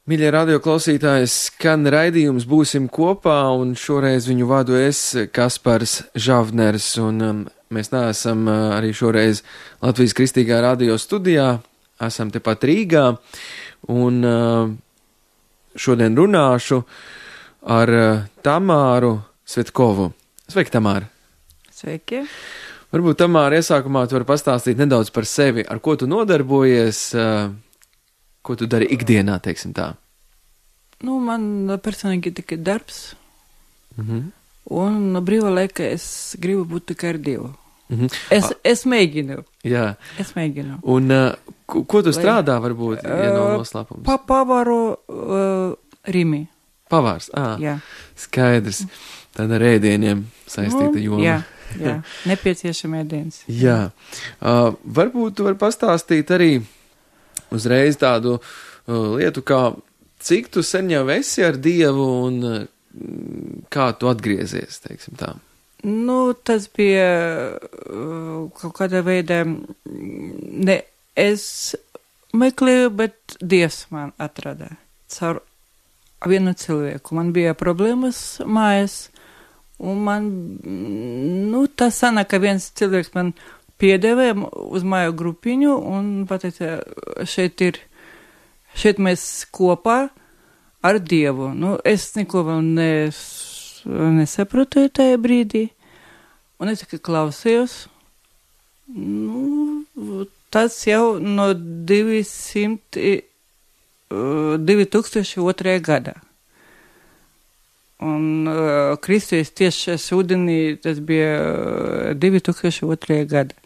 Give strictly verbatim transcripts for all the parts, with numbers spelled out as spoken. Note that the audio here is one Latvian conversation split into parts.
Mīļie radio klausītāji, skan raidījums Būsim kopā, un šoreiz viņu vadu es, Kaspars Žavners, un um, mēs neesam uh, arī šoreiz Latvijas Kristīgā radio studijā, esam tepat Rīgā, un uh, šodien runāšu ar uh, Tamāru Svetkovu. Sveiki, Tamāra! Sveiki! Varbūt, Tamāra, iesākumā tu vari pastāstīt nedaudz par sevi, ar ko tu nodarbojies, uh, ko tu dari ikdienā, teiksim tā? Nu, man personīgi tikai darbs, Mhm. un brīvā laikā es gribu būt tikai ar Dievu. Mhm. Es, es mēģinu, Jā, es mēģinu. un uh, ko, ko tu Lai- strādā, varbūt, ja nav Uh, noslēpums? Pa pavaru uh, Rimi, Pavārs, ā, jā. skaidrs, tad ar ēdieniem saistīta Nu, joma. Jā, jā, nepieciešama ēdienas. Jā. Uh, varbūt tu vari pastāstīt arī uzreiz tādu uh, lietu, kā cik tu sen jau esi ar Dievu un uh, kā tu atgriezies, teiksim tā. Nu, tas bija uh, kaut kādā veidā, mm, ne es meklēju, bet Dievs man atrada caur vienu cilvēku. Man bija problēmas mājās, un man, mm, nu, tas sanāk, ka viens cilvēks man piedēvē uz māju grupiņu, un pateica, šeit ir, šeit mēs kopā ar Dievu. Nu, es neko vēl nes, nesaprotu tajā brīdī, un es tikai klausījos. Nu, tas jau no divsimt, divi tūkstoši otrajā gadā. Un uh, Kristus tieši ūdenī, tas bija uh, divi tūkstoši otrajā gadā.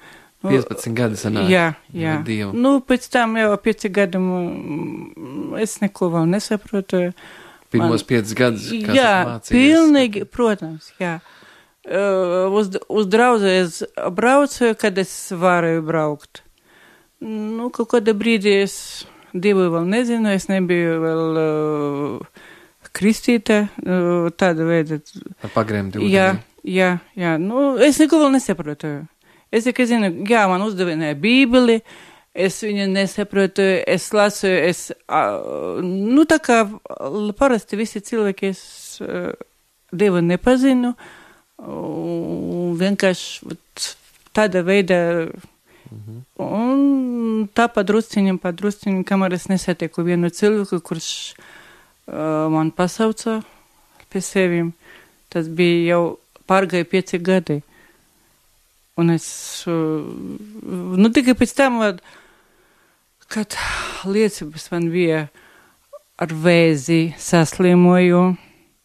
Nu, piecpadsmit gadi sanāk. Jā, jā. ar Dievu. Nu, pēc tam jau pieci gadi mm, es neko vēl nesaprotu. Pirmos piecus gadus, kā Jā, tu mācījies. pilnīgi, protams, jā. Uh, uz, uz draugu es braucu, kad es varēju braukt. Nu, kaut kādā brīdī es Dievu vēl nezinu, es nebiju vēl uh, kristīta, uh, tāda veida. Ar pagremti ūdeni. Jā, jā, jā. Nu, es neko vēl nesaprotu. Es tikai zinu, jā, man uzdevināja Bībeli, es viņu nesaprotu, es lasu, es, uh, nu, tā kā parasti visi cilvēki, es uh, Dievu nepazinu, un vienkārši vat, tāda veida, Mhm. un tā padrusciņam, padrusciņam, kamēr es nesatieku vienu cilvēku, kurš uh, man pasauca pie sevim, tas bija jau pārgāja pieci gadi. Un es, uh, nu tikai pēc tam, vat, kad liecības man bija ar vēzi saslimoju,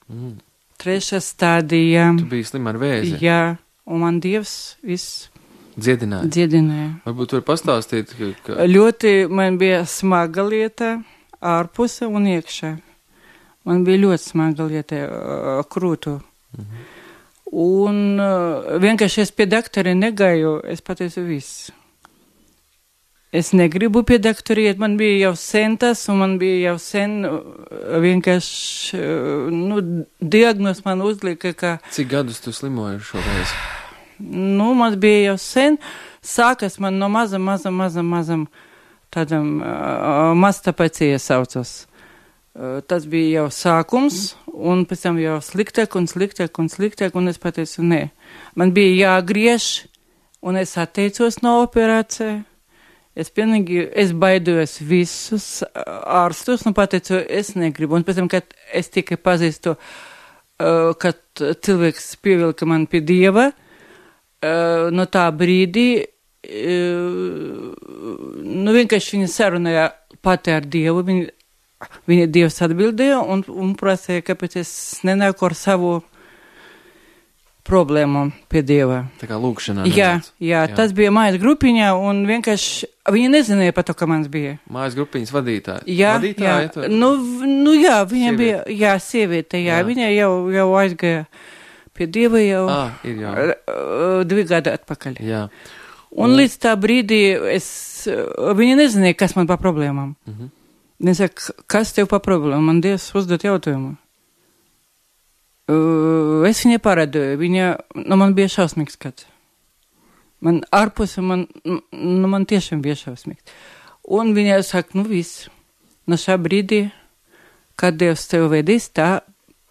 Mhm. trešā stādija, Tu biji slim ar vēzi. jā, un man Dievs viss Dziedināja. dziedināja. Varbūt tu vari pastāstīt, ka, ka Ļoti man bija smaga lieta ārpuse un iekšā. Man bija ļoti smaga lieta uh, krūtu. Mhm. Un uh, vienkārši es pie doktora negāju, es pateicu viss. Es negribu pie doktora iet, man bija jau sen tas, un man bija jau sen uh, vienkārši, uh, nu, diagnoz man uzlika, ka, cik gadus tu slimoji šoreiz? nu, man bija jau sen, sākas man no mazam, mazam, mazam, mazam, tādam uh, mastapācija saucas. Uh, tas bija jau sākums, un pēc tam jau sliktāk un sliktāk un sliktāk, un es pateicu, nē. Man bija jāgriež, un es atteicos no operācija. Es pilnīgi, es baidojos visus ārstus, un pateicu, es negribu. Un pēc tam, kad es tikai pazīstu, uh, kad cilvēks pievilka man pie Dieva, uh, no tā brīdī, uh, nu vienkārši viņa sarunāja pati ar Dievu, viņa, viņa Dievs atbildēja un, un prasīja, kāpēc es nenāku ar savu problēmu pie Dieva. Tā kā lūkšanā. Jā, nedaudz. jā, tas bija mājas grupiņā, un vienkārši viņa nezināja par to, ka mans bija. Mājas grupiņas vadītāja. Jā, vadītāja, jā. tu- Nu, v- nu jā, viņa Sieviete. bija, jā, sieviete, jā, Jā. viņa jau, jau aizgāja pie Dieva jau Ā, ir jā. uh, divi gadi atpakaļ. Jā. Un Un- līdz tā brīdī es, uh, viņa nezināja, kas man pa problēmām. Mhm. Viņa saka, kas tev pa problēmām? Man Dievs uzdot jautājumu. Uh, es viņai parādīju, viņa, nu, man bija šausmīgs skats. Man ārpus, man, nu, man tiešām bija šausmīgs. Un viņa saka, nu, viss, no šā brīdī kad Dievs tev vedīs, tā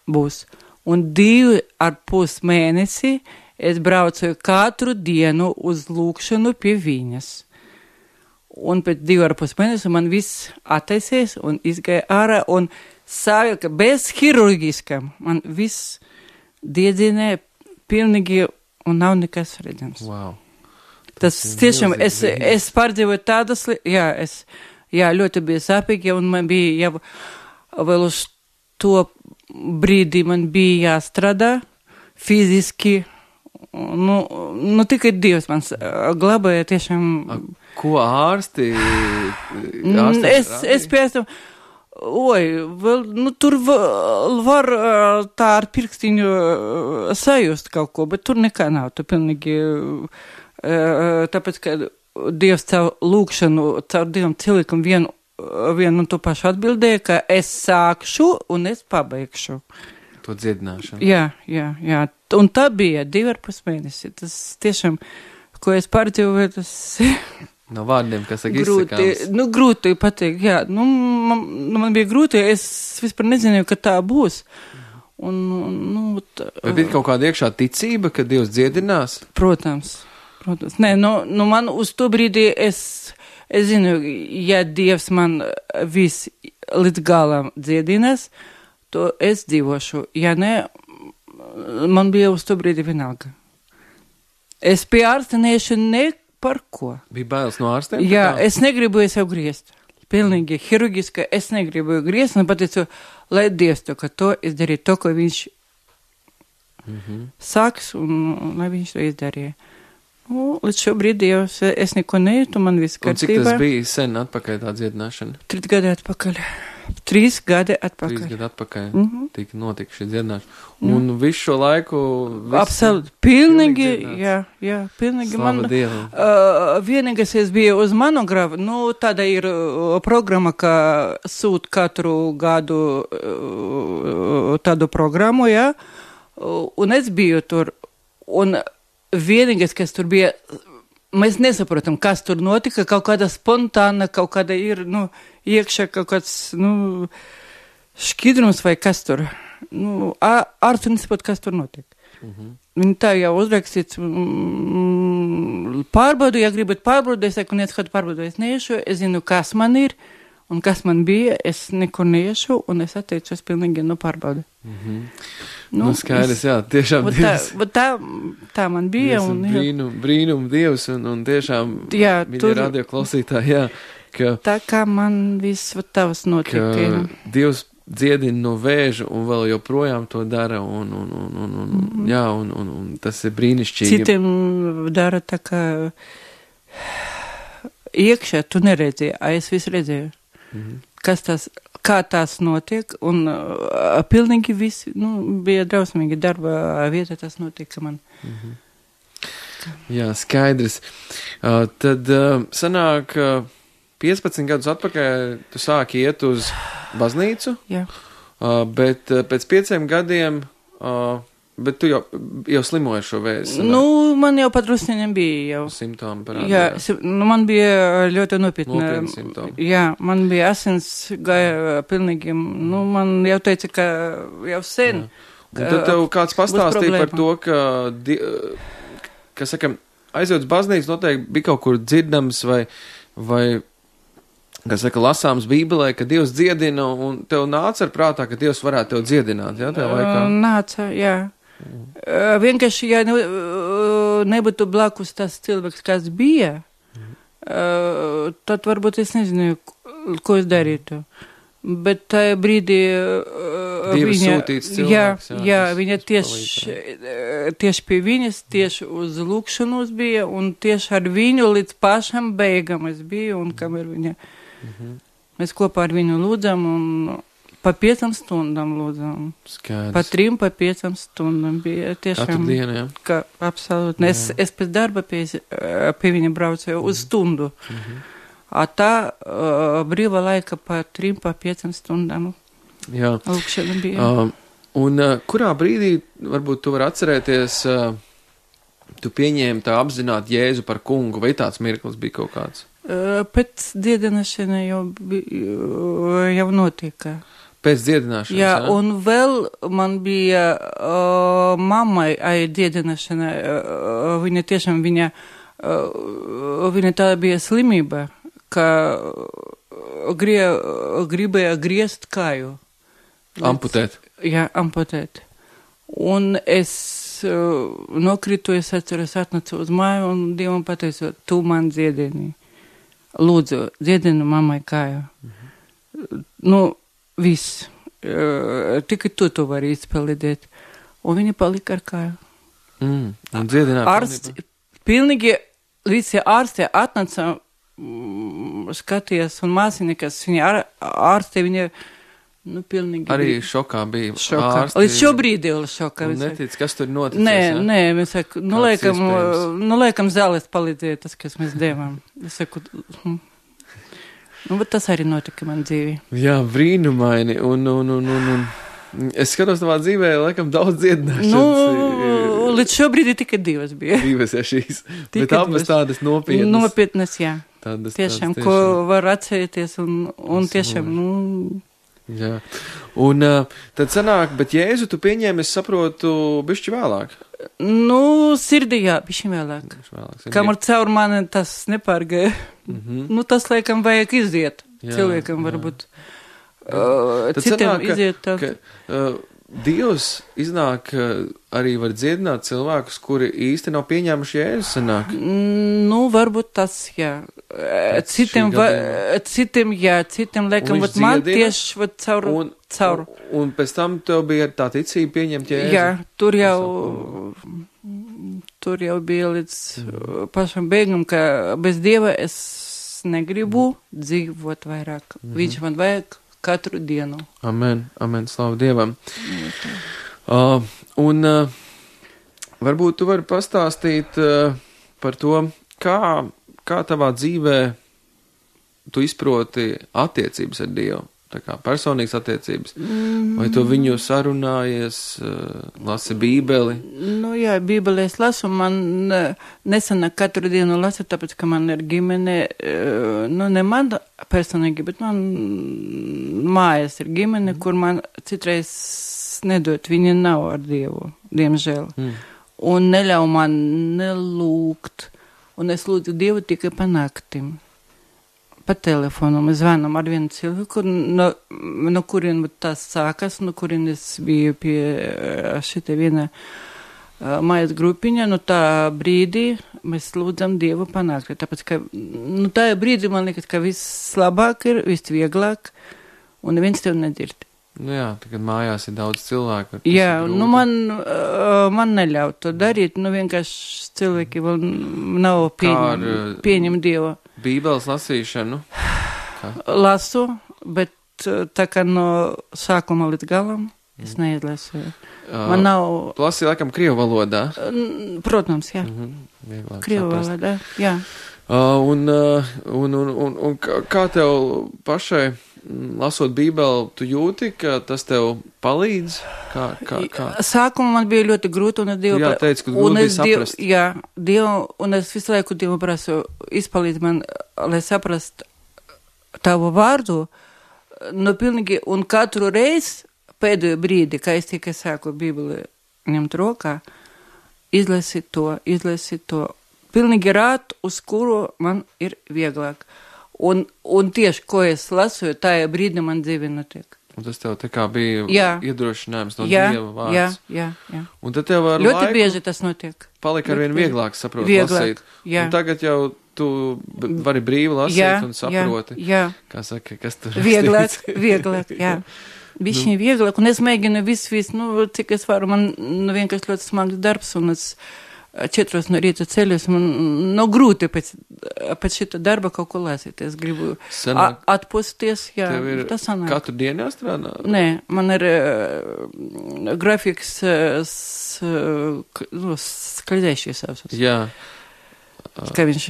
būs. Un divi ar pus mēnesi es braucu katru dienu uz lūkšanu pie viņas. Un pēc divu ar pus mēnesu man viss attaisies un izgāja ārā un savilka bez hirurgiskam. Man viss diedzinē pilnīgi un nav nekas redzams. Wow. Tas, Tas tiešām, es, es pārdzīvoju tādas, jā, es, jā, ļoti bija sāpīgi, un man bija jau vēl uz to brīdī man bija jāstrādā fiziski. Nu, nu tikai Dievs man glabāja tiešām. A, ko ārsti? ārsti es, es pēc tam, oi, vēl, nu tur var tā ar pirkstiņu sajust kaut ko, bet tur nekā nav. Tu pilnīgi, tāpēc, ka Dievs caur lūkšanu, caur Dievam cilvēkam vienu, vienu un to pašu atbildēja, ka es sākšu un es pabeigšu. To dziedināšanu. Jā, jā, jā. Un tā bija divi ar pus mēnesi. Tas tiešām, ko es pārdzīvoju, tas... No vārdiem, kas saka grūti, izsakāms. Nu, grūti pateikt, jā. Nu, man, man bija grūti, es vispār nezināju, ka tā būs. Un, nu... Tā, Vai bija kaut kāda iekšā ticība, ka Dievs dziedinās? Protams, protams. Nē, nu, nu man uz to brīdī es, es zinu, ja Dievs man viss līdz galam dziedinās, to es dzīvošu. Ja ne, man bija uz to brīdi vienalga. Es pie ārsta neiešu ne par ko. Bija bailes no ārstiem? Jā, es negribu sev griezt. Pilnīgi hirurgiski es negribu griezt, un pateicu, lai Dievs to, ka to izdarīja to, ko viņš mm-hmm. sāks, un, un lai viņš to izdarīja. Nu, līdz šo brīdi jau es, es neko nejūtu, man viss kārtībā. Un cik tas bija sen atpakaļ tā dziedināšana? Trīs gadi atpakaļ. Trīs gadi atpakaļ. Trīs gadi atpakaļ mm-hmm. tika notika šī dziedināšana. Un mm. visu šo laiku... Absolūti. Pilnīgi, jā, jā, pilnīgi. Slava man, Dievam. Uh, vienīgais es biju uz monografu, nu, tāda ir uh, programma, ka sūt katru gadu uh, tādu programmu, jā, uh, un es biju tur, un vienīgais, kas tur bija, mēs nesaprotam, kas tur notika, kaut kāda spontāna, kaut kāda ir, nu, iekšā kaut kāds, nu, šķidrums vai kas tur. Nu, ārstu nesaprot, kas tur notiek. Mm-hmm. Viņi tā jau uzrakstīts, mm, pārbaudu, ja gribat pārbaudu, es saku, nec kādu pārbaudu es neiešu, es zinu, kas man ir, un kas man bija, es nekur neiešu, un es atteicu, es pilnīgi nu pārbaudu. Mm-hmm. Nu, nu, skaidrs, jā, tiešām vat Dievs. Tā, tā, tā man bija. Un, brīnum, brīnum Dievs, un, un tiešām, jā, viņi tur, radio klausītāji, jā, ka... Tā kā man viss vat tavas notika. Ka Dievs dziedina no vēža un vēl joprojām to dara, un, un, un, un, un mm-hmm. jā, un, un, un tas ir brīnišķīgi. Citiem dara tā kā iekšā, tu neredzēji, a es visu redzēju. Mm-hmm. Kas tas, kā tās notiek, un uh, pilnīgi viss, nu, bija drausmīgi darba vieta, tas notika man. Mm-hmm. Jā, skaidrs. Uh, tad uh, sanāk, uh, piecpadsmit gadus atpakaļ tu sāki iet uz baznīcu, Jā. Uh, bet uh, pēc pieciem gadiem, uh, bet tu jau, jau slimoji šo vēzi. Nu, man jau padrusniņam bija jau. Simptomi parādījās. Jā, nu, man bija ļoti nopietna. Nopietni simptomi. Jā, man bija asins gāja pilnīgi, nu, man jau teica, ka jau sen. Jā. Un tad tev kāds pastāstīja par to, ka, di, ka saka, aizjūt uz baznīcu noteikti bija kaut kur dzirdams vai, vai kas saka, lasāms Bībelē, ka Dievs dziedina, un tev nāca ar prātā, ka Dievs varētu tev dziedināt, jā, tajā laikā? Nāca, jā. Mm. Uh, vienkārši, ja ne, uh, nebūtu blakus tas cilvēks, kas bija, mm. uh, tad varbūt es nezinu, ko es darītu. Bet tajā brīdī uh, Dievs viņa, sūtīts cilvēks, jā, jā, jā viņa tieši, tieši pie viņas, tieši uz lūkšanos bija, un tieši ar viņu līdz pašam beigam es biju, un kamēr viņa... Mm-hmm. Mēs kopā ar viņu lūdzam un pa piecam stundām lūdzam. Skaidrs. Pa trim, pa piecam stundām bija tiešām. Katru dienu, jā? Ka, absolūti. Es, es pēc darba pie, pie viņa braucu mm-hmm. uz stundu. Mm-hmm. A tā uh, brīva laika pa trim, pa piecam stundām. Jā. Lūkšana bija. Uh, un uh, kurā brīdī, varbūt tu vari atcerēties, uh, tu pieņēmi tā apzināt Jēzu par kungu, vai tāds mirklis bija kaut kāds? Pēc dziedināšana jau, jau notika. Pēc dziedināšanas, jā, jā? Un vēl man bija uh, mammai ai dziedināšana, uh, viņa tiešām, viņa, uh, viņa tā bija slimība, ka grie, gribēja griezt kāju. Amputēt. Jā, amputēt. Un es uh, nokritu, es atceros, atnācu uz māju un Dievam pateicu, tu man dziedini. Lūdzu, dziedinu mammai kāju. Mhm. Nu, viss. Uh, tikai tu to vari izpildīt. Un viņa palika ar kāju. Mm, un dziedināja. Ārsts, pilnīgi visi ārsti atnāca, mm, skaties, un māsinikas, viņa ār, ārsti, viņa, nu, pilnīgi. Arī šokā bija. Šokā. Ārsti, Līdz šobrīd vēl šokā. Un netic, kas tur noticis, nē, ja? Nē, mēs saku, nu, liekam, nu, liekam zāles palīdzēja tas, kas mēs devām. Es saku, hm. Nu, bet tas arī notika man dzīvī. Jā, brīnumaini, un, un, un, un, un es skatos tavā dzīvē, laikam, daudz dziedināšanas. Nu, līdz šobrīd ir tikai divas bija. Divas, ja šīs, Tika bet abas tādas nopietnas. Nopietnas, jā. Tādas, tiešām, tādas, ko tiešām. var atcerēties, un, un tiešām, nu... Jā, un uh, tad sanāk, bet Jēzu tu pieņēmi, es saprotu, bišķi vēlāk. Nu, sirdī, jā, bišķi vēlāk. vēlāk Kamēr caur mani tas nepārgāja. Mm-hmm. Nu, tas, laikam, vajag iziet. Jā, cilvēkam jā. varbūt. Uh, citam sanāk, iziet tā. Ka, uh, Dievs iznāk, uh, arī var dziedināt cilvēkus, kuri īsti nav pieņēmuši Jēzu, sanāk. Nu, varbūt tas, jā. Pēc citiem, va, citiem, jā, citiem, laikam, vat man tieši, vat caur, un, caur. Un, un pēc tam tev bija tā ticība pieņemt Jēzu? Jā, tur jau, tur jau bija līdz mm. pašam beigam, ka bez Dieva es negribu mm. dzīvot vairāk. Mm-hmm. Viņš man vajag katru dienu. Amen, amen, slavu Dievam. Mm. Uh, un uh, varbūt tu vari pastāstīt uh, par to, kā Kā tavā dzīvē tu izproti attiecības ar Dievu? Tā kā personīgas attiecības? Mm. Vai tu viņu sarunājies, lasi Bībeli? Nu jā, Bībeli es lasu, man nesanāk katru dienu lasu, tāpēc, ka man ir ģimene, nu ne man personīgi, bet man mājas ir ģimene, mm. kur man citreiz nedot, viņa nav ar Dievu, diemžēl. Mm. Un neļauj man nelūgt. Un es lūdzu Dievu tikai pa naktim. Pa telefonu. Mēs zvanam ar vienu cilvēku, no, no kurien tas sākas, no kurien es biju pie šita viena uh, mājas grupiņa. No tā brīdī mēs lūdzam Dievu pa nakti. Tāpēc, ka no tā brīdī man liekas, ka viss labāk ir, viss vieglāk, un neviens tev nedzird. Nu jā, tagad mājās ir daudz cilvēku. Jā, nu man, uh, man neļauj to darīt, nu vienkārši cilvēki vēl nav pieņem, ar, pieņem Dievu. Bībeles lasīšanu? Kā? Lasu, bet tā kā no sākuma līdz galam es neizlasu. Uh, man nav... Tu lasi, laikam, krievu valodā? Protams, jā. Mm-hmm. Krievu valodā, jā. Uh, un, uh, un, un, un, un kā tev pašai... Lasot Bībeli, tu jūti, ka tas tev palīdz? Kā, kā, kā? Sākumā man bija ļoti grūti, un es Dievu... Jā, teicu, ka grūti bija saprast. Dievu, jā, Dievu, un es visu laiku Dievu prasu, izpalīdz man, lai saprast tavu vārdu, nu pilnīgi, un katru reizi pēdējo brīdi, kā es tikai sāku Bībeli ņemt rokā, izlasīt to, izlasīt to, pilnīgi rāt, uz kuru man ir vieglāk. Un, un tieši, ko es lasu, tajā brīdī man dzīve notiek. Un tas tev tā kā bija jā. iedrošinājums no jā, Dieva vārds. Jā, jā, jā. Un tad tev ar ļoti laiku bieži tas notiek. Palika arvien vieglāk saprot vieglāk, lasīt. Jā. Un tagad jau tu vari brīvi lasīt jā, un saproti. Jā, jā. Kā saka, kas tur vieglāk, vieglāk, jā. Bišķiņ vieglāk, un es mēģinu visu, visu, nu, cik es varu, man nu, vienkārši ļoti smags darbs, un es četros no rīta ceļos, man no grūti pēc, pēc šita darba kaut ko lasīt. Es gribu Sanāk, atpūsties, jā, tas sanāk. Katru dienu jāstrādā? Nē, man ir uh, grafiks uh, s, uh, skaļējušies savs. Jā. Kā viņš,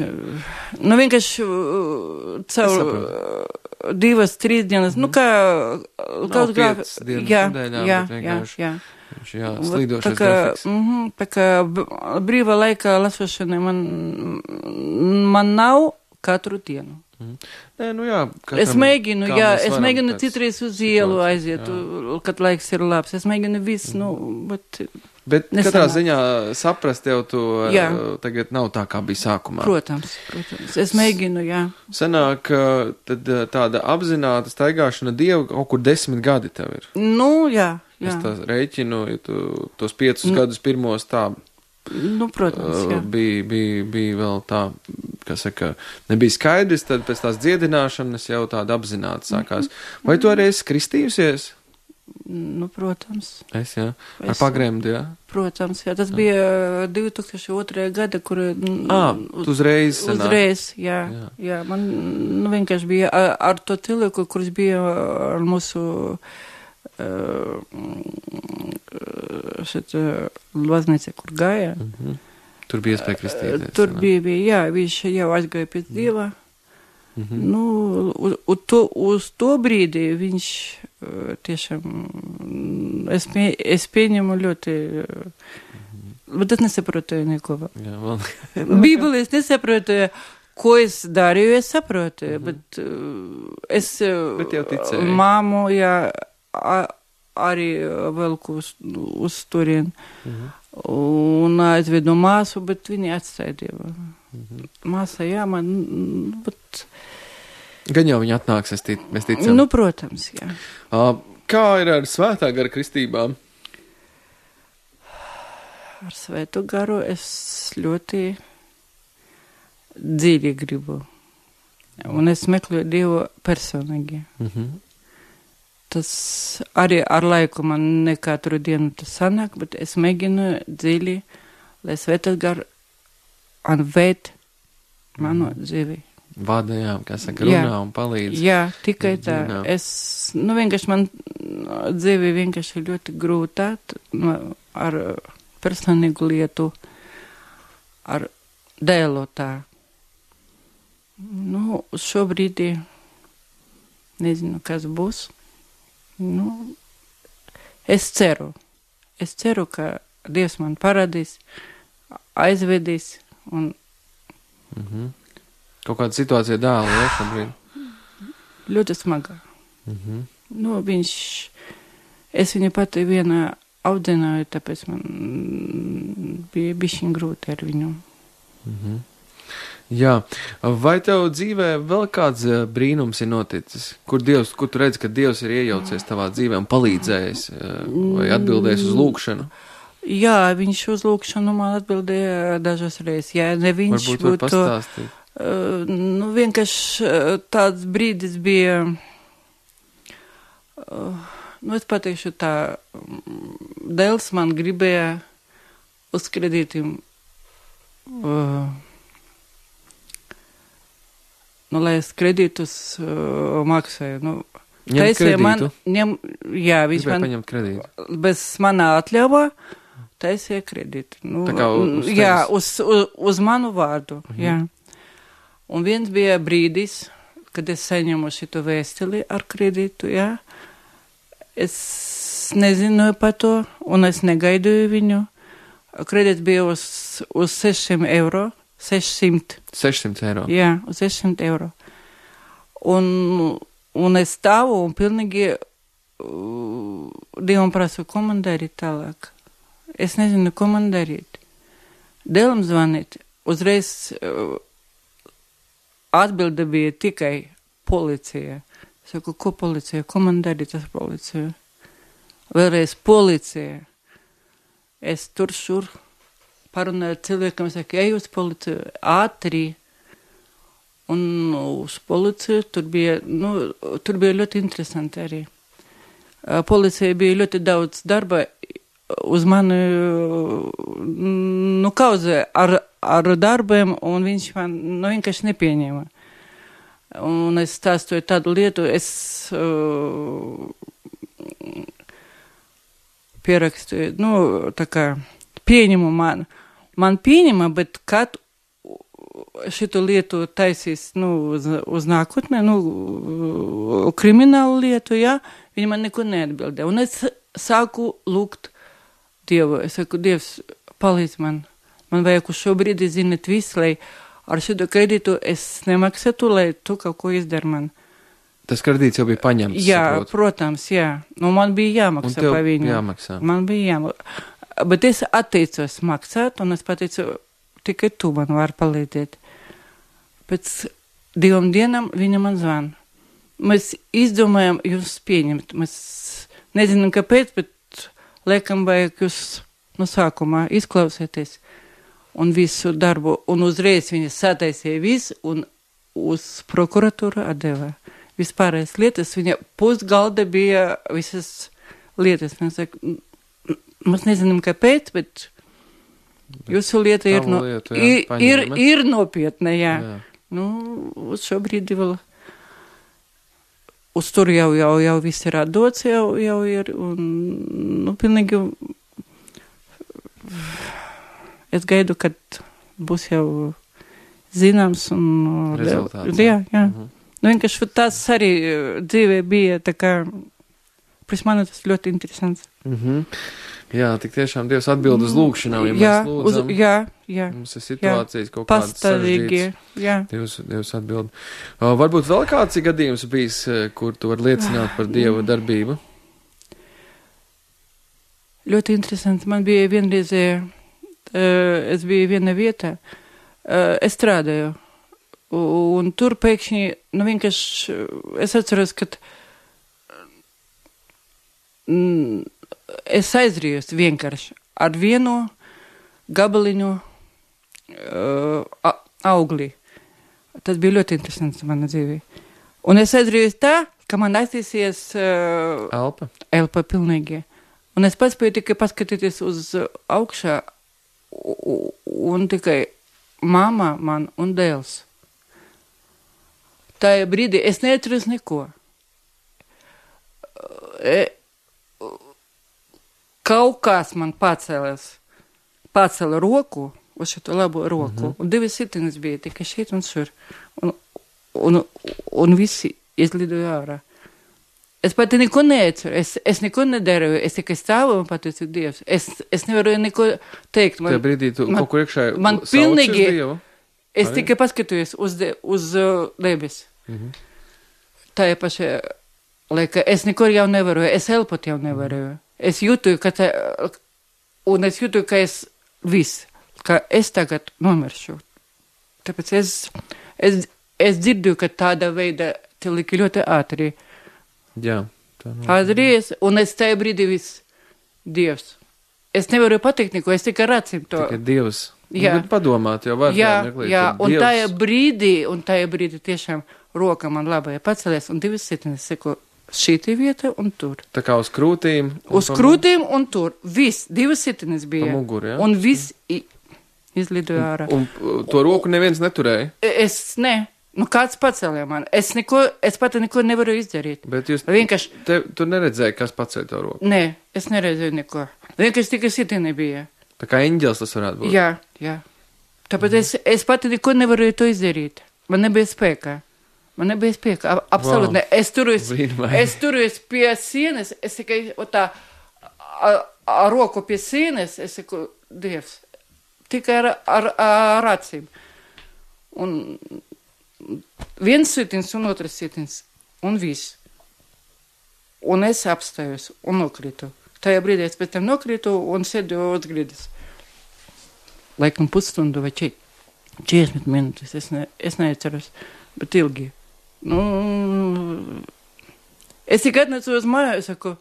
nu vienkārši uh, caur uh, divas, trīs dienas, nu kā kaut piecas dienas jā, nedēļā, jā, bet vienkārši. Jā, jā. Jā, slīdošais tā grafiks. Mm, tā kā brīvā laika lasošana man, man nav katru dienu. Mm. Nē, nu jā. Es mēģinu, jā, es mēģinu tāds citreiz uz ielu situācija, aiziet, jā. kad laiks ir labs. Es mēģinu visu, mm. nu, bet... Bet nesanāk. Katrā ziņā saprast jau to jā. Tagad nav tā, kā bija sākumā. Protams, protams. Es mēģinu, jā. Sanāk, tad tāda apzināta staigāšana Dievu kaut kur desmit gadi tev ir. Nu, jā, jā. Es tā rēķinu, ja tu tos piecus nu, gadus pirmos tā... Nu, protams, jā. Bija, bija, bija vēl tā, kā saka, nebija skaidrs, tad pēc tās dziedināšanas jau tāda apzināta sākās. Vai tu arī esi kristījusies? Nu, protams. Es, jā. Ar Es, pagremdu, jā? Protams, jā. Tas jā. bija divi tūkstoši otrajā gada, kur... Ā, tu uzreiz sanāk. Uzreiz, jā. jā. jā. Man, nu, vienkārši bija ar, ar to cilvēku, kurš bija ar mūsu... Uh, šeit uh, Lvaznīca, kur gāja. Mm-hmm. Tur bija iespēja kristīties. Tur bija, bija, jā, viņš jau aizgāja pēc Dieva. Mm-hmm. Nu, uz, uz, to, uz to brīdi viņš uh, tiešām, es, pie, es pieņemu ļoti, uh, mm-hmm. bet es nesaprotu neko vēl. Jā, vēl. Bībeli es nesaprotu, ko es darīju, es saprotu, mm-hmm. bet uh, es uh, bet jau ticēju. Māmu, jā, A, arī velku uz, uz turien. Mm-hmm. Un aizvedu māsu, bet viņi atstāja Dievu. Mm-hmm. Māsa, jā, man, bet... Gan jau viņi atnāks, es tic, mēs ticam. Nu, protams, jā. Uh, kā ir ar svētā gara kristībām? Ar svētu garu es ļoti dziļi gribu. Un es meklēju Dievu personīgi. Mm-hmm. Tas arī ar laiku man ne katru dienu tas sanāk, bet es mēģinu dziļi, lai svētais gar anvēt manu dzīvi. Vada, jā, kā saka, runā jā. Un palīdz. Jā, tikai tā. Jā. Es, nu, vienkārši man dzīvi vienkārši ļoti grūtā nu, ar personīgu lietu, ar dēlu tā. Nu, šobrīd nezinu, kas būs. Nu, es ceru, es ceru, ka Dievs man parādīs, aizvedīs un... Mm-hmm. Kaut kāda situācija dēla, ja, šobrīd? Ļoti smagā. Mm-hmm. Nu, viņš, es viņu pati vienā audzināju, tāpēc man bija bišķiņ grūti ar viņu. Mm-hmm. Jā, vai tev dzīvē vēl kāds brīnums ir noticis, kur Dievs, kur tu redzi, ka Dievs ir iejaucies tavā dzīvē un palīdzējis vai atbildējis uz lūkšanu? Jā, viņš uz lūkšanu man atbildēja dažas reizes. Jā, ne viņš varbūt var pastāstīt. Uh, nu, vienkārši tāds brīdis bija, uh, nu, es pateikšu tā, dēls man gribēja uz kredītiem uh, nu, lai es kredītus uh, maksāju. Nu, ņem kredītu? Man, ņem, jā, viņš gribēja man paņemt kredītu. Bez manā atļauvā taisīja kredītu. Nu, tā kā uz tevis? Jā, uz, uz, uz manu vārdu, mhm. jā. Un viens bija brīdis, kad es saņemu šito vēstuli ar kredītu, jā. Es nezināju par to, un es negaidīju viņu. Kredīts bija uz, uz sešiem eiro. sešsimt. sešsimt eiro. Jā, uz sešsimt eiro. Un, un es stāvu un pilnīgi uh, Dievam prasu, ko man darīt tālāk. Es nezinu, ko man darīt. Dēlam zvanīt. Uzreiz uh, atbilde bija tikai policija. Saku, ko policija? Ko man darīt ar policiju? Vēlreiz policija. Es tur šur parunāju cilvēkam, saka, ej uz policiju, ātri. Un uz policiju tur bija, nu, tur bija ļoti interesanti arī. Policija bija ļoti daudz darba uz mani, nu, kauzē ar, ar darbiem, un viņš man, nu, vienkārši nepieņēma. Un es stāstoju tādu lietu, es uh, pierakstīju, nu, tā kā pieņemu man. Man pieņema, bet kad šitu lietu taisīs, nu, uz, uz nākotnē, nu, kriminālu lietu, jā, viņi man neko neatbildē. Un es sāku lūgt Dievu. Es saku, Dievs, palīdz man. Man vajag uz šo brīdi zināt visu, lai ar šito kredītu es nemaksātu, lai tu kaut ko izdari man. Tas kredīts jau bija paņemts, Jā, saprotu. protams, jā. Nu, man bija jāmaksā pa viņu. jāmaksā. Man bija jāmaksā. Bet es atteicos maksāt, un es pateicu, tikai tu man vari palīdzēt. Pēc divām dienām viņa man zvana. Mēs izdomājam jūs pieņemt. Mēs nezinām, kāpēc, bet liekam vajag jūs no sākumā izklausēties un visu darbu. Un uzreiz viņa sataisīja visu un uz prokuratūru atdeva. Vispārējais lietas, viņa pusgalda bija visas lietas. Mēs, saka, mēs nezinām, kāpēc, bet jūsu lieta ir, no, lietu, jā, ir, ir, paņēma. ir nopietna, jā. jā. Nu, uz šo brīdi vēl, uz tur jau, jau, jau viss ir atdots, jau, jau ir, un, nu, pilnīgi, es gaidu, kad būs jau zināms, un, rezultāts. Jā, jā. Mhm. Nu, vienkārši tas arī dzīvē bija, tā kā, pēc mani tas ļoti interesants. Mhm. Jā, tik tiešām Dievs atbild uz lūkšanām, ja jā, mēs lūdzam. Uz, jā, jā. Mums ir situācijas jā, kaut kādas pastāvīgi, sarežģītas. jā. Dievs, Dievs atbild. Uh, varbūt vēl kāds ir gadījums bijis, kur tu vari liecināt par Dieva darbību? Ļoti interesanti. Man bija vienreiz, uh, es biju viena vietā, uh, es strādāju. Un tur pēkšņi, nu vienkārši, es atceros, ka mm, es aizrījos vienkārši ar vienu gabaliņu uh, augli. Tas bija ļoti interesants mana dzīvē. Un es aizrījos tā, ka man aiztīsies uh, elpa. Elpa pilnīgi. Un es paspēju tikai paskatīties uz augšā un tikai mamma man un dēls. Tajā brīdī es neatceros neko. E, kaut kas man pacēlās, pacēla roku, uz šo labo roku, mm-hmm. un divas sitiens bija tikai šeit un šur. Un, un, un visi izlidoja ārā. Es pati neko neatceru, es, es neko nedarīju, es tikai stāvu un pateicu Dievs. Es, es nevaru neko teikt. Man, tajā brīdī tu man, kaut kur iekšā man pilnīgi, Dievu? Es Arī? tikai paskatījos uz, de, uz uh, debes. Mm-hmm. Tā ir paša lieka, es nekur jau nevaroju, es elpot jau nevaroju. Es jūtu, ka tā, un es jūtu, ka es viss, ka es tagad nomiršu. Tāpēc es, es, es dzirdu, ka tāda veida cilvēki ļoti ātri. Jā. Tā Ātries, un es tajā brīdī viss, Dievs. Es nevaru pateikt neko, es tikai racim to. Tikai Dievs. Jā. Nu, padomāt, jau var. Jā, meklēt, jā, un Dievs... tajā brīdī, un tajā brīdī tiešām roka man labajā pacelies, un divas sitiens, seku, šī vieta un tur. Tā kā uz krūtīm. Uz krūtīm un tur. Viss, divas sitiens bija. Pa muguru, jā? Un viss izlidoja ārā. Un, un to roku neviens neturēja? Es, ne. Nu, kāds pacēlīja man. Es neko, es pati neko nevaru izdarīt. Bet jūs, vienkārši... te, tu neredzēji, kas pacēla to roku? Nē, es neredzēju neko. Vienkārši tikai sitieni bija. Tā kā eņģels tas varētu būt? Jā, jā. Tāpēc mm. es, es pati neko nevaru to izdarīt. Man nebija spēka. Man nebija spēka. Absolūti wow. ne. Es turējos, es turējos pie sienas, es tikai tā, ar, ar roku pie sienas, es saku, Dievs, tikai ar, ar, ar acīm. Un viens sitiens un otrs sitiens, un viss. Un es apstājos un nokrītu. Tajā brīdī es pēc tam nokrītu un sēdu uz grīdas. Laikam pusstundu vai četrdesmit minūtes, es, ne, es neatceros, bet ilgi. Nu, es tikai atnecu uz māju, es saku,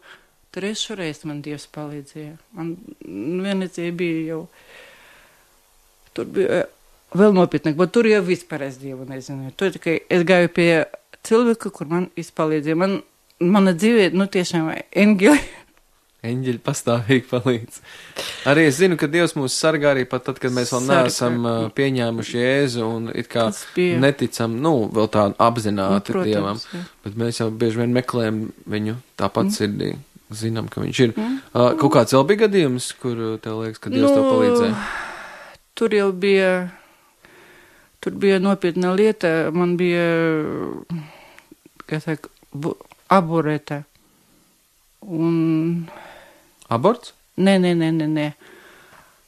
trešo reizi man Dievs palīdzēja. Man vienreizēja bija jau, tur bija vēl nopietnāk, bet tur jau vispār es Dievu nezinu. Tur tikai es gāju pie cilvēka, kur man izpalīdzēja. Man, mana dzīve, nu tiešām, eņģeli. Eņģeļi pastāvīgi palīdz. Arī es zinu, ka Dievs mūs sargā arī pat tad, kad mēs vēl neesam uh, pieņēmuši Jēzu un it kā neticam, nu, vēl tā apzināti nu, protams, Dievam. Jā. Bet mēs jau bieži vien meklējam viņu tāpat mm. sirdī. Zinām, ka viņš ir. Mm. Uh, kaut kāds vēl bija gadījums, kur tev liekas, ka Dievs nu, tev palīdzēja? Tur jau bija, tur bija nopietna lieta. Man bija, kā saka, aborēta. Un... Aborts? Nē, nē, nē, nē, nē.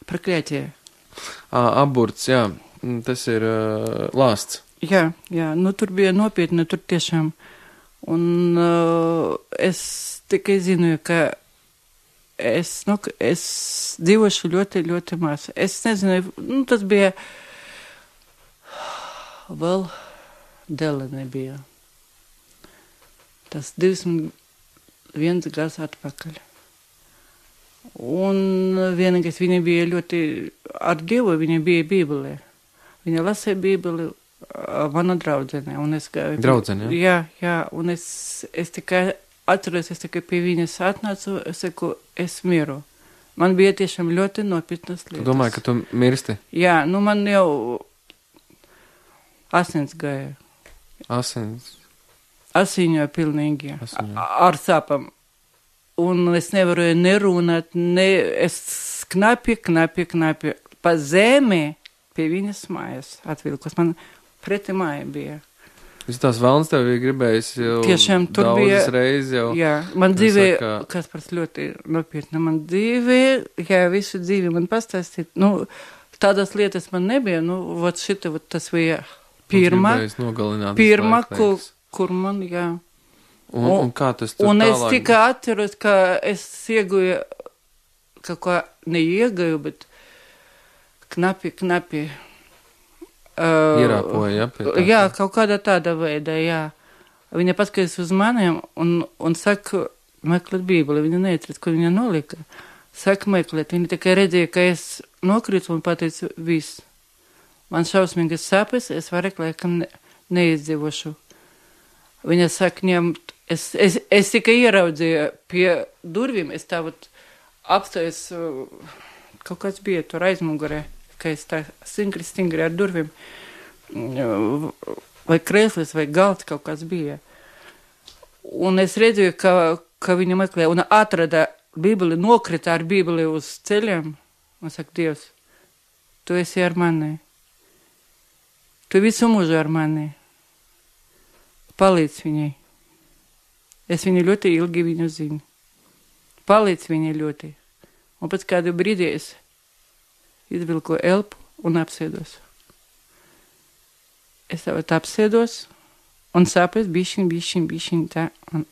Проклятие. À, aborts, jā. tas ir uh, lāsts. Jā, jā, nu tur bija nopietni, tur tiešām. Un uh, es tikai zinu, ka es, nu, es dzīvošu ļoti, ļoti maz. Es nezinu, nu tas bija vēl dēle nebija. Tas divdesmit viens gads atpakaļ. Un vienīgais viņa bija ļoti ar Dievu, viņa bija Bībelē. Viņa lasīja Bībeli, mana draudzene. Un es gāju. Draudzene, jā? Jā, jā, un es, es tikai atceros, es tikai pie viņas atnācu, es saku, es miru. Man bija tiešām ļoti nopietnas lietas. Tu domāji, ka tu mirsti? Jā, nu man jau asins gāja. Asins? Asiņoja pilnīgi. Asiņoja. Ar sāpam. Un es nevaru nerunāt, ne, es knapi, knapi, knapi pa zemi pie viņas mājas atvilkos. Man preti māja bija. Viss tās vēlns tev ir gribējis jau tiešām, tur daudzas bija, reizes jau. Jā, man dzīvē, saka, kas pats ļoti nopietni, man dzīvē, jā, visu dzīvi man pastāstīt. Nu, tādas lietas man nebija, nu, vot šita, vot tas bija pirma, pirma, kur, kur man, jā. Un, un, un kā tas tur un tālāk? Un es tikai atceros, ka es ieguju, kaut kā neieguju, bet knapi, knapi. Uh, Ierāpoja, ja? Pie tā, jā, kaut kādā tāda veida, jā. Viņa paskatās uz maniem un, un saka, meklēt Bībeli. Viņa neatceras, kur viņa nolika. Saka, meklēt. Viņa tikai redzēja, ka es nokritu un pateicu, viss. Man šausmīgas sāpes, es vairāk laikam ne, neizdzīvošu. Viņa saka, ņemt, es, es, es tikai ieraudzīju pie durvīm, es tā vat apstājas, kaut kāds bija tur aizmugurē, ka es tā stingri, stingri ar durvīm, vai krēslis, vai galds kaut kāds bija. Un es redzēju, ka, ka viņa meklē, un atrada Bībeli, nokrita ar Bībeli uz ceļiem, un saka, Dievs, tu esi ar mani, tu visu mūžu ar mani. Palīdz viņai. Es viņu ļoti ilgi viņu zinu. Palīdz viņai ļoti. Un pēc kādu brīdi es izvilku elpu un apsēdos. Es tā apsēdos un sāpes bišķiņ, bišķiņ, bišķiņ tā. Un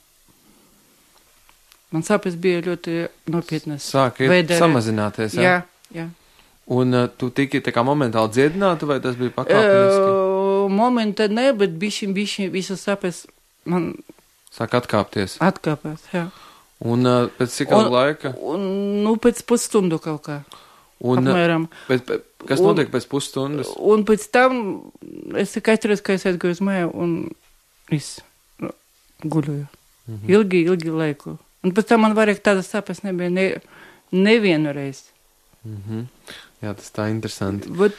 man sāpes bija ļoti nopietnas. Sāk iet samazināties, jā? Jā, jā. Un uh, tu tiki tā kā momentāli dziedinātu, vai tas bija pakāpeniski? Uh, Momenta ne, bet bišķiņ, bišķiņ, visas sāpes man... Sāk atkāpties. Atkāpās, jā. Un uh, pēc cik kādu laika? Un, nu, pēc pusstundu kaut kā. Un, apmēram. Pēc, pēc, kas un, notiek pēc pusstundas? Un pēc tam es tikai atceros, ka es aizgāju uz māju un viss guļoju. Mhm. Ilgi, ilgi laiku. Un pēc tam man vairāk tādas sāpes nebija ne, nevienu reizi. Mhm. Jā, tas tā interesanti. Bet,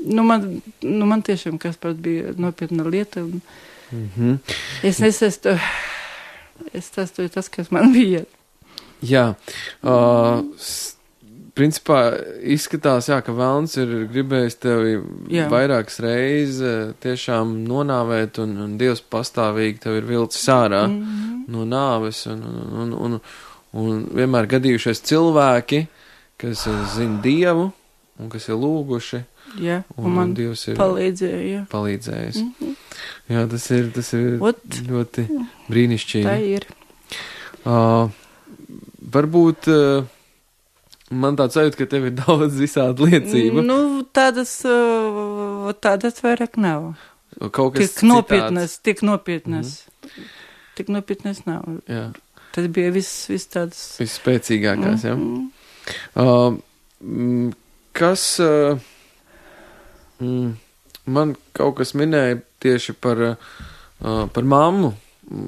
nu man, nu man tiešām kas pat bija nopietna lieta. Un mhm. Es nesastu, es sastoju tas, kas man bija. Jā, uh, s, principā izskatās, jā, ka velns ir gribējis tevi jā. vairākas reizes tiešām nonāvēt, un, un Dievs pastāvīgi tev ir vilcis ārā mm-hmm. no nāves, un, un, un, un, un vienmēr gadījušies cilvēki, kas zina Dievu, un kas ir lūguši, jā, un, un man Dievs ir palīdzēja, jā. palīdzējis. Mm-hmm. Jā, tas ir, tas ir Ot, ļoti brīnišķīgi. Tā ir. Uh, varbūt uh, man tāds sajūta, ka tev ir daudz visādi liecība. Nu, tādas, uh, tādas vairāk nav. Kaut kas tik nopietnas, citāds. tik nopietnas. Mm-hmm. Tik nopietnas nav. Jā. Tas bija viss, viss tādas. Viss spēcīgākās, mm-hmm. jā. Uh, kas, uh, mm, man kaut kas minēja tieši par, uh, par mammu,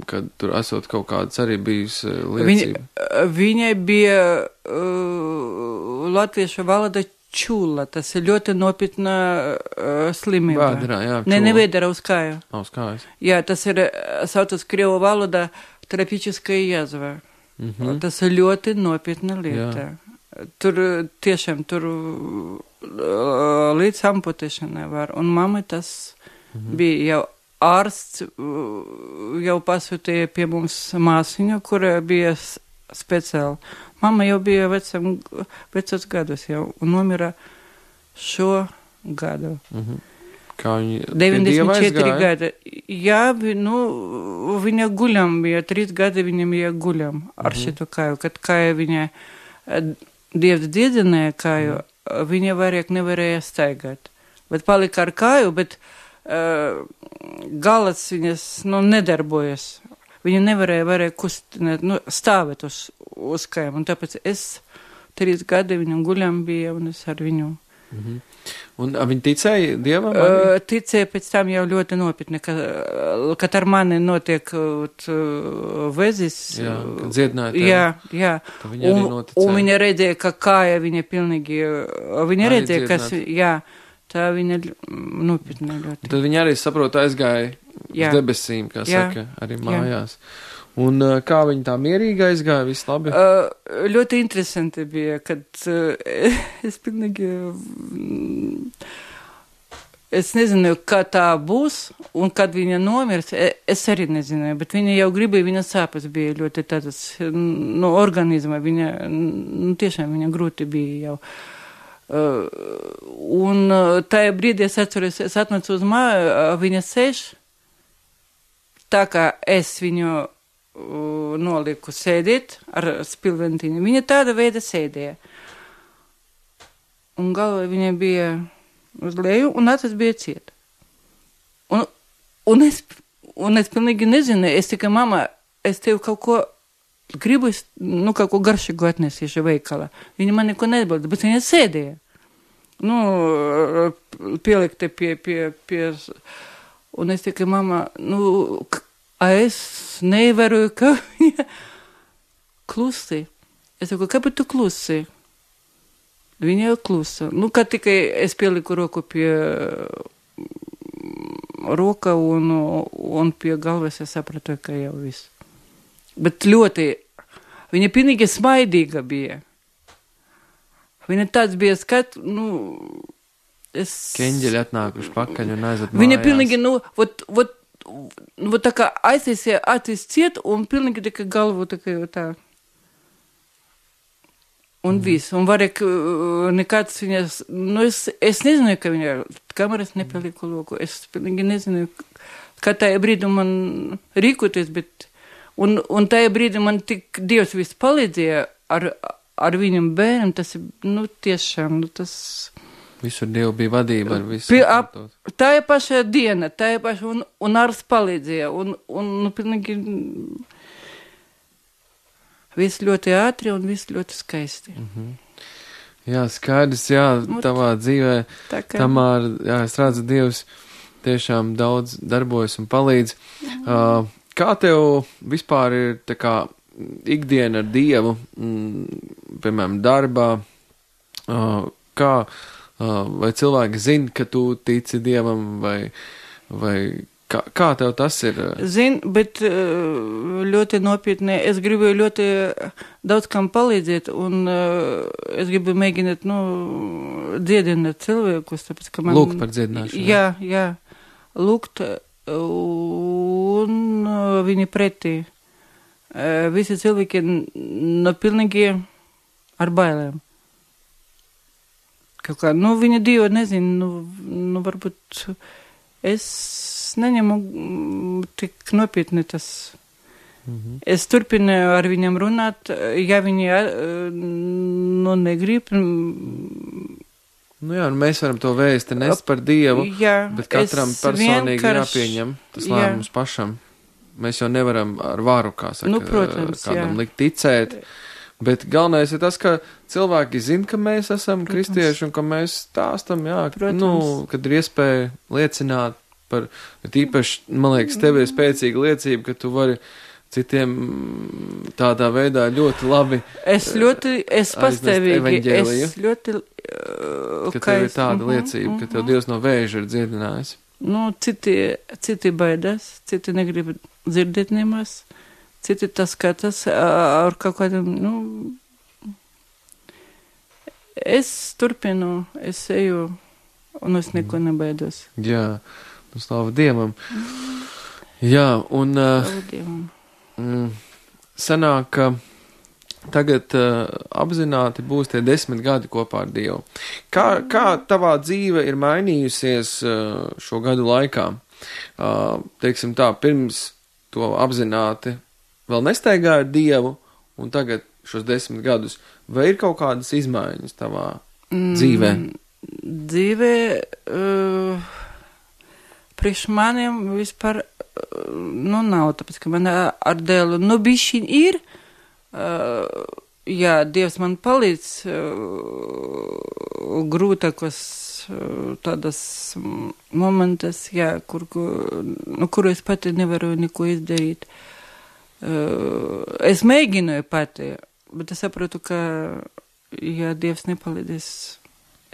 kad tur esot kaut kāds arī bijis uh, liecība. Viņa, viņai bija uh, latviešu valoda čula, tas ir ļoti nopietna uh, slimība. Vēderā, jā, čula. Ne, ne vēderā uz kāju. Uz kājas. Jā, tas ir, saucas krievu valoda, terapičiskая jazva. Mm-hmm. Tas ir ļoti nopietna lieta. Jā. Tur tiešām, tur līdz amputēšanai var. Un mamma tas mm-hmm. bija jau ārsts, jau pasūtīja pie mums māsiņu, kura bija speciāli. Mamma jau bija vecam, vecos gadus jau un nomira šo gadu. Mhm. Kā viņi deviņdesmit četri gadi. Jā, vi, nu, viņa guļam bija, trīs gadi viņam bija guļam ar mm-hmm. šitu kāju, kad kāja viņa Dievs dziedināja kāju, mm-hmm. viņa variek nevarēja staigāt. Bet palika ar kāju, bet uh, galats viņas, nu, nedarbojas. Viņa nevarēja, varēja kustināt, nu, stāvēt uz, uz kājām, un tāpēc es trīs gadi viņam guļam bija, un es ar viņu. Mm-hmm. Un viņi ticēja Dievam? Uh, ticēja pēc tam jau ļoti nopietni, ka, kad ar mani notiek uh, vezis. Jā, kad dziedināja tevi. Jā, jā. Viņa arī noticēja. Un viņa redzēja, ka kāja viņa pilnīgi, viņa arī redzēja, kas, jā, tā viņa nopietni ļoti. Tad viņa arī saprot aizgāja jā. Uz debesīm, kā jā. Saka, arī mājās. Jā. Un uh, kā viņi tā mierīgi aizgāja, viss labi? Uh, ļoti interesanti bija, kad uh, es pilnīgi, es nezinu, kā tā būs, un kad viņa nomirs, es arī nezināju, bet viņa jau gribēja, viņa sāpes bija ļoti tādas, no organisma, viņa, nu tiešām viņa grūti bija jau. Uh, un uh, tajā brīdī es atceros, es atnācu uz māju, uh, viņa sēž, tā kā es viņu noliku sēdēt ar spilventīnu. Viņa tāda veida sēdēja. Un galva viņa bija uz leju, un acis bija ciet. Un, un, es, un es pilnīgi nezinu, es tikai, mama, es tev kaut ko gribu, nu, kaut ko garšīgu atnesīšu veikalā. Viņa man neko neatbilda, bet viņa sēdēja. Nu, pielikta pie, pie, pie, un es tikai, mama, nu, a es nevaru, ka viņa klusi. Es saku, kāpēc tu klusi? Viņa jau klusa. Nu, kad tikai es pieliku roku pie roka un, un pie galvas, es sapratu, ka jau viss. Bet ļoti, viņa pilnīgi smaidīga bija. Viņa tāds bija skat, nu, es... Keņģeļi atnākuši pakaļ un aizat mājās. Viņa pilnīgi, nu, vot, vot, nu, tā kā aiztaisīja acis ciet un pilnīgi tā kā galvu tā kā jau tā. Un mm. viss. Un varēk nekāds viņas, nu, es, es nezinu, ka viņa kameras nepaliku loku. Es pilnīgi nezinu, kā tajā brīdī man rīkoties, bet, un, un tajā brīdī man tik Dievs viss palīdzēja ar, ar viņam bērnam, tas ir, nu, tiešām, nu, tas... Visur Dievu bija vadība ar visu. Pie, ap, tā ir paša diena, tā ir paša, un, un ārs palīdzēja, un, un, nu, pilnīgi, viss ļoti ātri un viss ļoti skaisti. Mm-hmm. Jā, skaidrs, jā, tavā dzīvē, Tamāra, jā, es redzu, Dievs tiešām daudz darbojas un palīdz. Mm-hmm. Uh, kā tev vispār ir, tā kā, ikdiena ar Dievu, mm, piemēram, darbā, uh, kā, Uh, vai cilvēki zina, ka tu tici Dievam, vai, vai kā, kā tev tas ir? Zin, bet ļoti nopietni, es gribu ļoti daudz kam palīdzēt, un uh, es gribu mēģināt, nu, dziedināt cilvēkus, tāpēc, ka man... Lūgt par dziedināšanu. Jā, jā, lūgt, un uh, viņi pretī. Uh, visi cilvēki, no pilnīgi ar bailēm. Kaut kā, nu, viņa Dievu nezinu, nu, nu, varbūt es neņemu tik nopietni tas. Mm-hmm. Es turpinu ar viņam runāt, ja viņi, nu, negrib. Nu jā, nu mēs varam to vēsti nest par Dievu, jā, bet katram personīgi vienkārši... jāpieņem tas lēmums pašam. Mēs jau nevaram ar varu, kā saka, nu, protams, kādam jā. likt ticēt. Bet galvenais ir tas, ka cilvēki zina, ka mēs esam protams. Kristieši un ka mēs stāstam, jā, protams. Nu, kad ir iespēja liecināt par, bet īpaši, man liekas, tev ir spēcīga liecība, ka tu vari citiem tādā veidā ļoti labi es ļoti, es pastāvīgi, es ļoti, uh, ka tev ir tāda uh-huh, liecība, uh-huh. ka tev Dievs no vēža ir dziedinājis. Nu, citi, citi baidās, citi negrib dzirdēt nemaz. Citi tas skatās ar kaut kādiem, nu, es turpinu, es eju, un es neko nebaidos. Jā, nu, slāva Dievam. Jā, un uh, Dievam. Mm, sanāk, ka tagad uh, apzināti būs tie desmit gadi kopā ar Dievu. Kā, kā tavā dzīve ir mainījusies uh, šo gadu laikā? Uh, teiksim tā, pirms to apzināti vēl nestaigāja ar Dievu, un tagad šos desmit gadus, vai ir kaut kādas izmaiņas tavā mm, dzīvē? Dzīvē, uh, priekš maniem vispār, uh, nu nav, tāpēc, ka man ar dēlu, nu bišķiņ ir, Uh, jā, Dievs man palīdz uh, grūtākos uh, tādas momentas, jā, kur, nu, kuru es pati nevaru neko izdarīt. Uh, es mēģināju pati, bet es saprotu, ka, ja Dievs nepalīdzēs,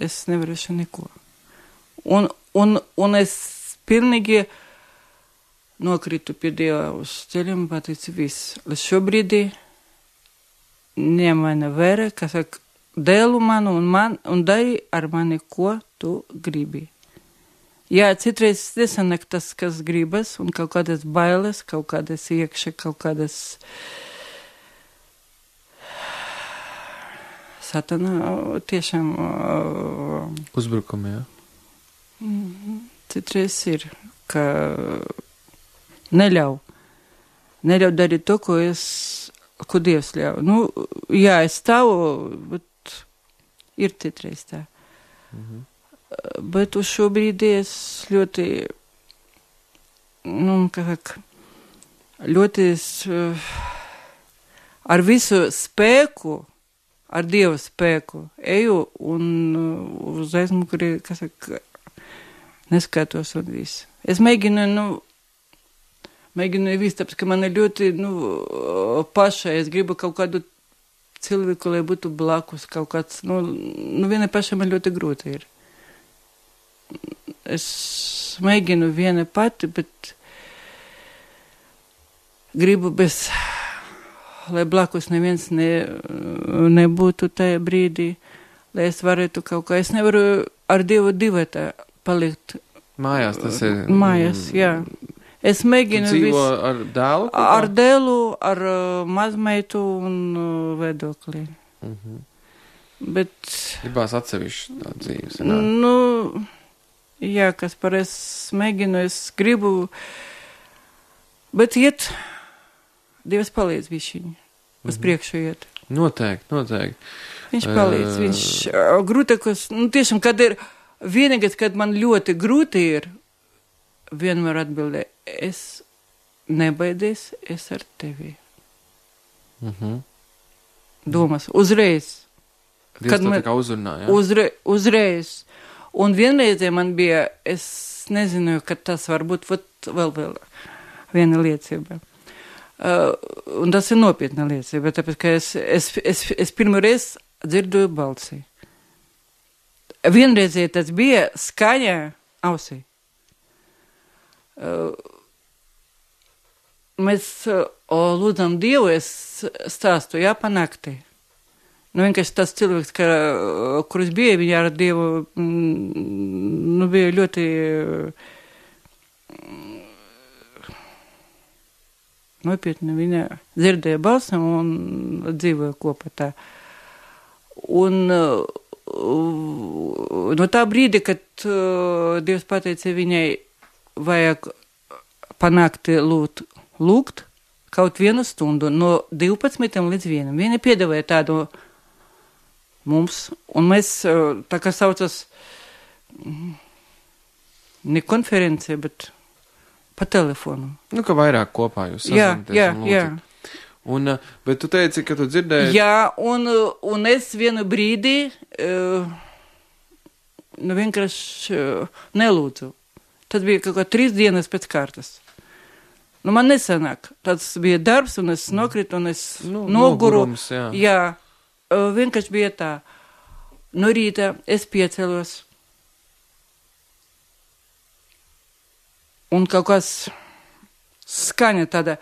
es nevarēšu neko. Un, un, un es pilnīgi nokritu pie Dieva uz ceļiem, pateicu viss. Līdz šobrīd ņem vērā, kas saka, dēlu manu un man, un dari ar mani, ko tu gribi. Jā, citreiz nesanāk tas, kas gribas, un kaut kādas bailes, kaut kādas iekšā, kaut kādas satana tiešām uzbrukumi, jā. Citreiz ir, ka neļauj. Neļauj darīt to, ko es ko Dievs ļauj. Nu, jā, es stāvu, bet ir citreiz tā. Mhm. Bet uz šo brīdi es ļoti, nu, kā saka, ļoti es, ar visu spēku, ar Dieva spēku eju un uz aizmuguri, kā saka, neskatos un visu. Es mēģinu, nu, Mēģinu visu, tāpēc, ka man ir ļoti, nu, pašai, es gribu kaut kādu cilvēku, lai būtu blakus kaut kāds, nu, nu viena paša man ļoti grūti ir. Es mēģinu viena pati, bet gribu bez, lai blakus neviens ne, nebūtu tajā brīdī, lai es varētu kaut kā, es nevaru ar Dievu divatā palikt. Mājās tas ir. Mājās, jā. Es mēģinu visu. Tu dzīvo visu, ar dēlu? Kopā? Ar dēlu, ar uh, mazmeitu un uh, vedokli. Uh-huh. Bet... Gribās atsevišķi tā dzīves. Nu, jā, kas par es mēģinu, es gribu, bet iet, Dievs palīdz višķiņi, uz uh-huh. priekšu iet. Noteikti, noteikti. Viņš palīdz, uh... viņš uh, grūtākos, nu tiešām, kad ir vienīgais, kad man ļoti grūti ir, vienmēr atbildē, es nebaidies, es ar tevi. Uh-huh. Domas, uzreiz. Dievs kad man, tā kā uzrunā, jā? Uzre, uzreiz. Un vienreizē man bija, es nezināju, ka tas var būt vēl, vēl viena liecība. Uh, un tas ir nopietna liecība, tāpēc, ka es, es, es, es pirmo reizi dzirdoju balsi. Vienreizē tas bija skaņa ausī. Uh, mēs uh, lūdzam Dievu, es stāstu, jā, pa naktī. Nu, vienkārši tas cilvēks, ka, kurš bija, viņa ar Dievu, mm, nu, bija ļoti mm, nopietni, viņa dzirdēja balsam un dzīvoja kopā tā. Un uh, no tā brīdi, kad uh, Dievs pateica viņai, vajag panākt lūgt, lūgt kaut vienu stundu no divpadsmitiem līdz vienam. Viena piedāvāja tādu mums, un mēs, tā kā saucas, ne konferencija, bet pa telefonu. Nu, ka vairāk kopā jūs sazināties. Jā, jā, jā. Un, bet tu teici, ka tu dzirdēji... Jā, un, un es vienu brīdi, nu, vienkārši nelūdzu. Tad bija kaut kā trīs dienas pēc kārtas. Nu, man nesanāk. Tas bija darbs, un es nokritu, un es nu, noguru. Nogurums, jā. Jā, vienkārši bija tā. No rīta es piecelos. Un kaut kas skaņa tāda,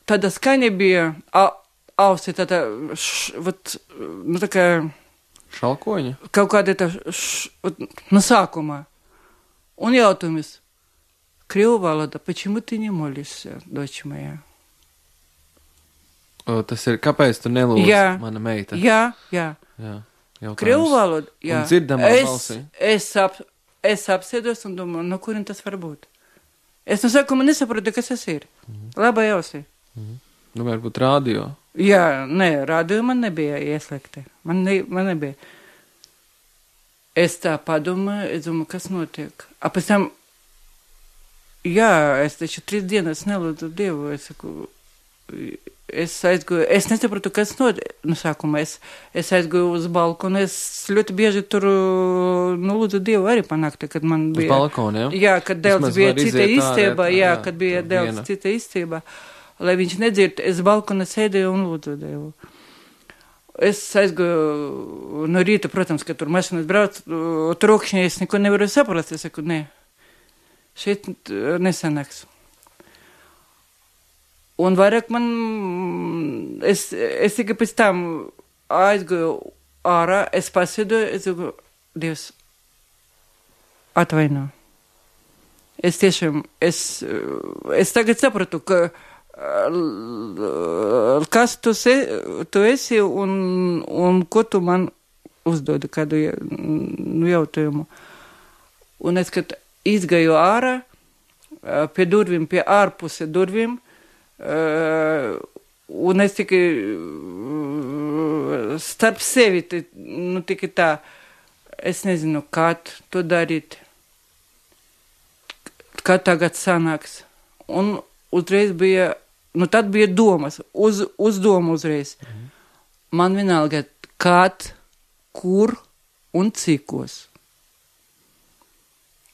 tāda skaņa bija ausi, tāda, š, vat, nu, tā kā... Šalkoņa? Kaut kāda tā, š, vat, no sākumā. Un jautājums, Крīvu valoda, почему ты не молишься, дочь моя? O, tas ir, kāpēc tu nelūdz, jā, mana meita? Jā, jā. Jā, jautājums. Krievu valoda, jā. Un dzirdamā es, balsī. Es, ap, es apsēdos un domāju, no kurien tas var būt? Es no sākuma nesaprotu, kas tas ir. Mm-hmm. Labā jausī. Mm-hmm. Nu, varbūt rādio. Jā, nē, rādio man nebija ieslēgta. Man, ne, man nebija. Es tā padomāju, es domāju, kas notiek. A pēc tam, jā, es taču trīs dienas nelūdzu Dievu, es saku, es aizgāju, es nesapratu, kas notiek. No sākuma es, es aizgāju uz balkonu, es ļoti bieži tur, nu, lūdzu Dievu arī panākti, kad man bija. Uz balkonu, jā? Jā, kad Dēls bija cita istībā, jā, jā, kad bija Dēls cita istībā. Lai viņš nedzird, es balkona sēdēju un lūdzu Dievu. Es aizgāju no rīta, protams, ka tur mašīnas brauc, trokšņi, es neko nevaru saprast. Es saku, nē, šeit nesanāks. Un vairāk man, es, es tikai pēc tam aizgāju ārā, es pasēdēju, es saku, Dievs, atvaino. Es tiešām, es, es tagad sapratu, ka kas tu, se, tu esi un, un ko tu man uzdodi kādu nu, jautājumu. Un es, kad izgāju ārā, pie durvīm, pie ārpuse durvīm, un es tikai starp sevi, nu tikai tā, es nezinu, kā to darīt, kā tagad sanāks. Un uzreiz bija, nu tad bija domas, uz, uz domu uzreiz. Mhm. Man vienalga, kad, kur un cikos.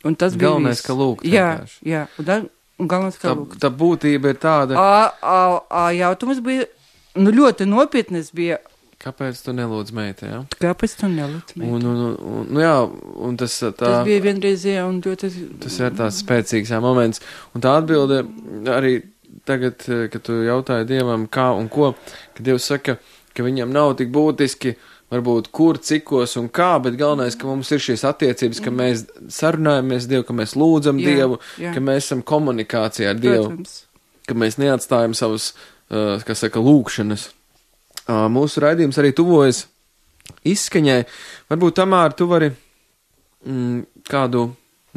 Un tas bija galvenais, viss. Ka lūgt. Jā, vienkārši. jā, un tā, un galvenais, ka tā, lūgt. Tā būtība ir tāda. A, a, a, jautājums bija, nu ļoti nopietnes bija. Kāpēc tu nelūdz meita, jā? Kāpēc tu nelūdz meita? Un, un, un, un, nu jā, un tas tā. Tas bija vienreizē, un ļoti. Tas ir tās spēcīgs jā, moments. Un tā atbilde arī tagad, kad tu jautāji Dievam, kā un ko, kad Dievs saka, ka viņam nav tik būtiski, varbūt kur, cikos un kā, bet galvenais, ka mums ir šīs attiecības, ka mēs sarunājamies Dievu, ka mēs lūdzam jā, Dievu, jā. Ka mēs esam komunikācijā ar Dievu, Protams. Ka mēs neatstājam savus, uh, kas saka, lūkšanas. Uh, mūsu raidījums arī tuvojas izskaņai. Varbūt, Tamāra, tu vari mm, kādu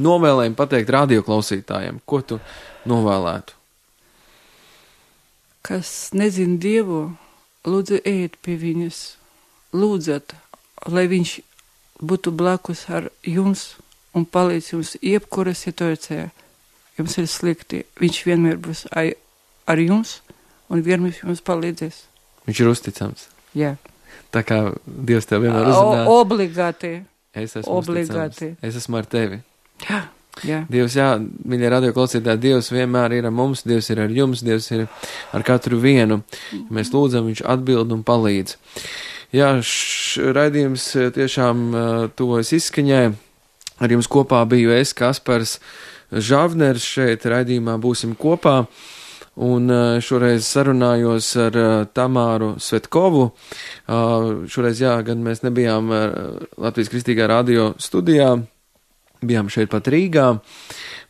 novēlējumu pateikt radioklausītājiem. Ko tu novēlētu? Kas nezina Dievu, lūdzu ejiet pie viņas, lūdzat, lai viņš būtu blakus ar jums un palīdz jums jebkura situācijā. Jums ir slikti, viņš vienmēr būs ar jums un vienmēr jums palīdzēs. Viņš ir uzticams. Jā. Tā kā Dievs tev vienmēr uzrunā. O, obligāti. Es esmu obligāti. Uzticams. Es esmu ar tevi. Jā. Jā. Dievs, jā, mīļie radioklausītāji, Dievs vienmēr ir ar mums, Dievs ir ar jums, Dievs ir ar katru vienu. Ja mēs lūdzam, viņš atbild un palīdz. Jā, š, raidījums tiešām uh, tuvojas izskaņai. Ar jums kopā biju es, Kaspars Žavners, šeit raidījumā būsim kopā. Un uh, šoreiz sarunājos ar uh, Tamāru Svetkovu. Uh, šoreiz, jā, gan mēs nebijām uh, Latvijas Kristīgā radio studijā, bijām šeit pat Rīgā,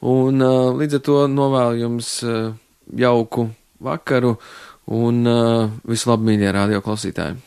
un uh, līdz ar to novēlu jums uh, jauku vakaru un uh, visu labu, mīļie radio klausītāji.